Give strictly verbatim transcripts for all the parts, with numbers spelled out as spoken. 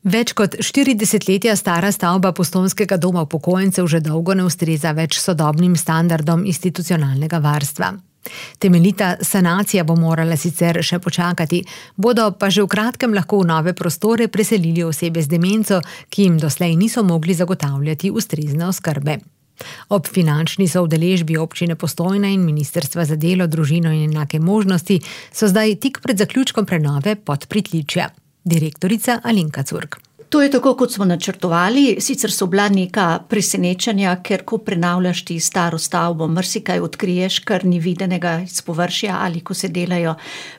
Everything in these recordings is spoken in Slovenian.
Več kot štiri desetletja stara stavba Postojnskega doma upokojencev že dolgo ne ustreza več sodobnim standardom institucionalnega varstva. Temeljita sanacija bo morala sicer še počakati, bodo pa že v kratkem lahko v nove prostore preselili osebe z demenco, ki jim doslej niso mogli zagotavljati ustrezne oskrbe. Ob finančni soudeležbi občine Postojna in Ministrstva za delo, družino in enake možnosti so zdaj tik pred zaključkom prenove Podpritličja. Direktorica Alenka Curk. To je tako, kot smo načrtovali, sicer so bila neka presenečenja, ker ko prenavljaš ti staro stavbo, marsikaj odkriješ, kar ni videnega iz površja ali ko se delajo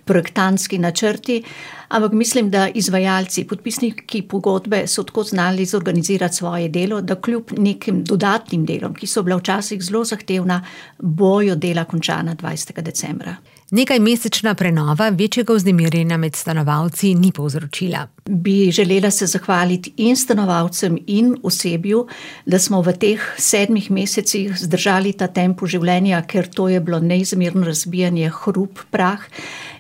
projektantski načrti, ampak mislim, da izvajalci, podpisniki pogodbe so tako znali zorganizirati svoje delo, da kljub nekim dodatnim delom, ki so bila včasih zelo zahtevna, bojo dela končana dvajsetega decembra. Nekaj mesečna prenova večjega vznemirjenja med stanovalci ni povzročila. Bi želela se zahvaliti in stanovalcem in osebju, da smo v teh sedmih mesecih zdržali ta tempo življenja, ker to je bilo neizmerno razbijanje, hrup, prah.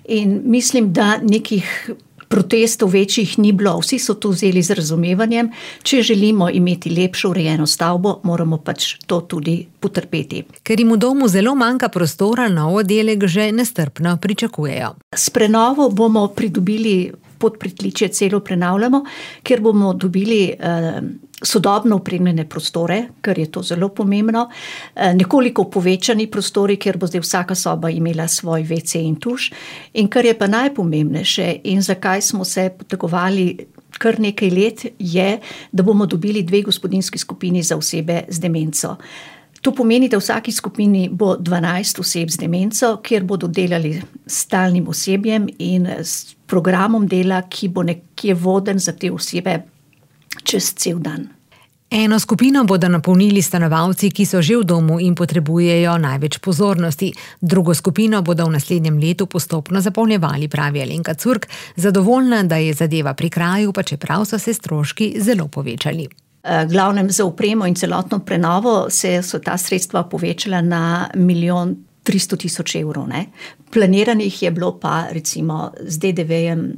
In mislim, da nekih protestov večjih ni bilo, vsi so to vzeli z razumevanjem. Če želimo imeti lepšo urejeno stavbo, moramo pač to tudi potrpeti. Ker jim v domu zelo manjka prostora, nov oddelek že nestrpno pričakujejo. S prenovo bomo pridobili Podpritličje, celo prenavljamo, ker bomo dobili eh, sodobno opremljene prostore, ker je to zelo pomembno, eh, nekoliko povečani prostori, ker bo zdaj vsaka soba imela svoj ve ce in tuš. In kar je pa najpomembnejše in zakaj smo se potegovali kar nekaj let, je, da bomo dobili dve gospodinjski skupini za osebe z demenco. To pomeni, da v vsaki skupini bo dvanajst oseb z demenco, kjer bodo delali s stalnim osebjem in s programom dela, ki bo nekje voden za te osebe čez cel dan. Eno skupino bodo napolnili stanovalci, ki so že v domu in potrebujejo največ pozornosti. Drugo skupino bodo v naslednjem letu postopno zapolnjevali, pravi Alenka Curk, zadovoljna, da je zadeva pri kraju, pa čeprav so se stroški zelo povečali. Glavnem za opremo in celotno prenovo se so ta sredstva povečala na milijon tristo tisoč evrov. Ne? Planiranih je bilo pa recimo z de de vejem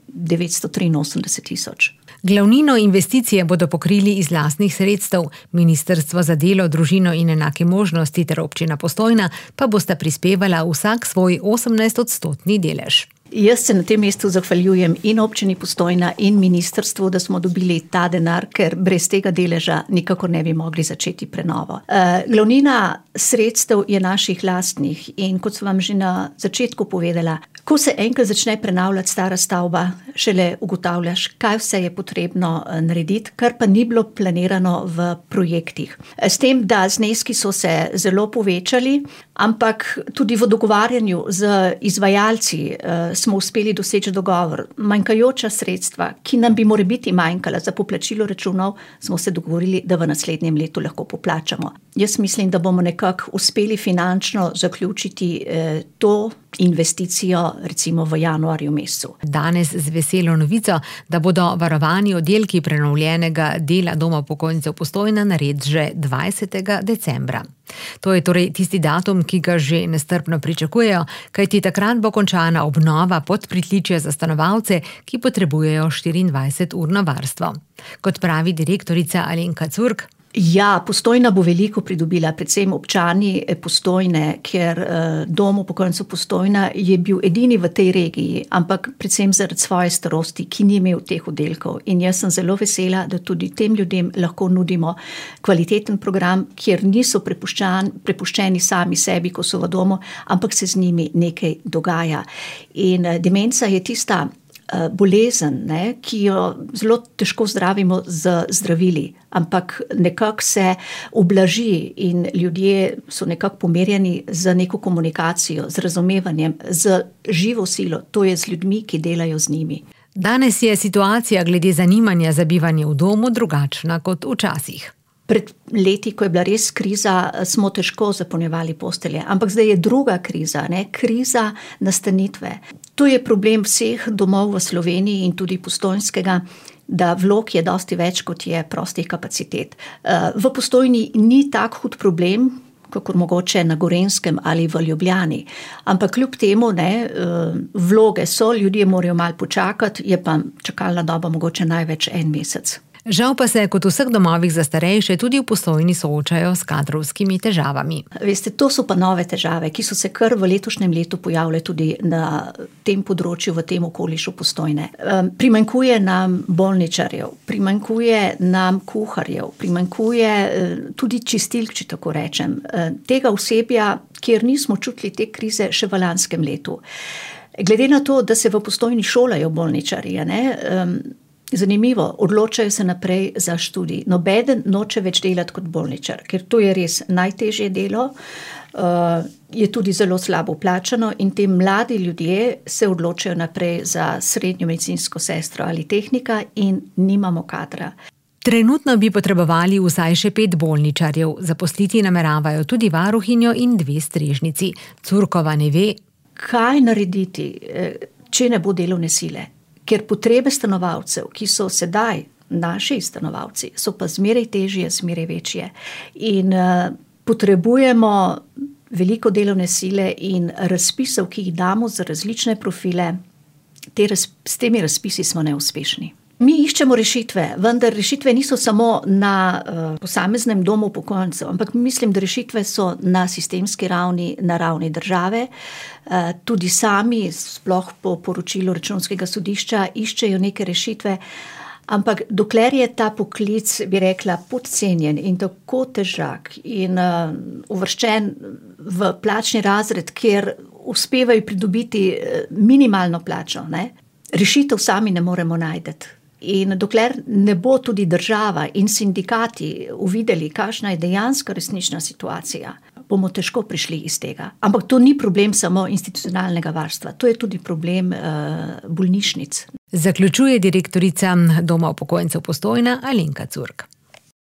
devetsto triinosemdeset tisoč. Glavnino investicije bodo pokrili iz lastnih sredstev. Ministrstvo za delo, družino in enake možnosti ter občina Postojna pa bosta prispevala vsak svoj osemnajstodstotni delež. Jaz se na tem mestu zahvaljujem in občini Postojna in ministrstvu, da smo dobili ta denar, ker brez tega deleža nikakor ne bi mogli začeti prenovo. Uh, glavnina sredstev je naših lastnih in kot sem vam že na začetku povedala, ko se enkrat začne prenavljati stara stavba, šele ugotavljaš, kaj vse je potrebno narediti, kar pa ni bilo planirano v projektih. S tem, da zneski so se zelo povečali, ampak tudi v dogovarjanju z izvajalci uh, smo uspeli doseči dogovor. Manjkajoča sredstva, ki nam bi morebiti manjkala za poplačilo računov, smo se dogovorili, da v naslednjem letu lahko poplačamo. Jaz mislim, da bomo nekako uspeli finančno zaključiti eh, to investicijo recimo v januarju mesecu. Danes z veselo novico, da bodo varovani oddelki prenovljenega dela Doma upokojencev Postojna nared že dvajsetega decembra. To je torej tisti datum, ki ga že nestrpno pričakujejo, kajti takrat bo končana obnova Podpritličja za stanovalce, ki potrebujejo štiriindvajseturno varstvo. Kot pravi direktorica Alenka Curk, Ja, Postojna bo veliko pridobila, predvsem občani Postojne, ker eh, Dom upokojencev Postojna je bil edini v tej regiji, ampak predvsem zaradi svoje starosti, ki ni imel teh oddelkov. In jaz sem zelo vesela, da tudi tem ljudem lahko nudimo kvaliteten program, kjer niso prepuščeni sami sebi, ko so v domu, ampak se z njimi nekaj dogaja. In eh, demenca je tista bolezen, ne, ki jo zelo težko zdravimo z zdravili, ampak nekako se ublaži in ljudje so nekako pomerjeni z neko komunikacijo, z razumevanjem, z živo silo, to je z ljudmi, ki delajo z njimi. Danes je situacija glede zanimanja za bivanje v domu drugačna kot včasih. Pred leti, ko je bila res kriza, smo težko zapolnjevali postelje, ampak zdaj je druga kriza, ne? Kriza nastanitve. To je problem vseh domov v Sloveniji in tudi postojnskega, da vlog je dosti več, kot je prostih kapacitet. V Postojni ni tak hud problem, kakor mogoče na Gorenjskem ali v Ljubljani. Ampak kljub temu, ne, vloge so, ljudje morajo malo počakati, je pa čakalna doba mogoče največ en mesec. Žal pa se kot v vseh domovih za starejše tudi v Postojni soočajo s kadrovskimi težavami. Veste, to so pa nove težave, ki so se kar v letošnjem letu pojavile tudi na tem področju, v tem okolišu Postojne. Primanjkuje nam bolničarjev, primanjkuje nam kuharjev, primanjkuje tudi čistilk, če tako rečem. Tega osebja, kjer nismo čutili te krize še v lanskem letu. Glede na to, da se v Postojni šolajo bolničarji, ne, zanimivo, odločajo se naprej za študij. Nobeden noče več delati kot bolničar, ker to je res najtežje delo, je tudi zelo slabo plačano in te mladi ljudje se odločajo naprej za srednjo medicinsko sestro ali tehnika in nimamo kadra. Trenutno bi potrebovali vsaj še pet bolničarjev, zaposliti nameravajo tudi varuhinjo in dve strežnici. Curkova ne ve, kaj narediti, če ne bo delovne sile. Ker potrebe stanovalcev, ki so sedaj naši stanovalci, so pa zmeraj težje, zmeraj večje. In uh, potrebujemo veliko delovne sile in razpisov, ki jih damo za različne profile, te raz, s temi razpisi smo neuspešni. Mi iščemo rešitve, vendar rešitve niso samo na uh, posameznem domu upokojencev, ampak mislim, da rešitve so na sistemski ravni, na ravni države. Uh, tudi sami, sploh po poročilu Računskega sodišča, iščejo neke rešitve, ampak dokler je ta poklic, bi rekla, podcenjen in tako težak in uh, uvrščen v plačni razred, kjer uspevajo pridobiti minimalno plačo, ne? Rešitev sami ne moremo najti. In dokler ne bo tudi država in sindikati uvideli, kakšna je dejansko resnična situacija, bomo težko prišli iz tega. Ampak to ni problem samo institucionalnega varstva, to je tudi problem uh, bolnišnic. Zaključuje direktorica Doma upokojencev Postojna Alenka Curk.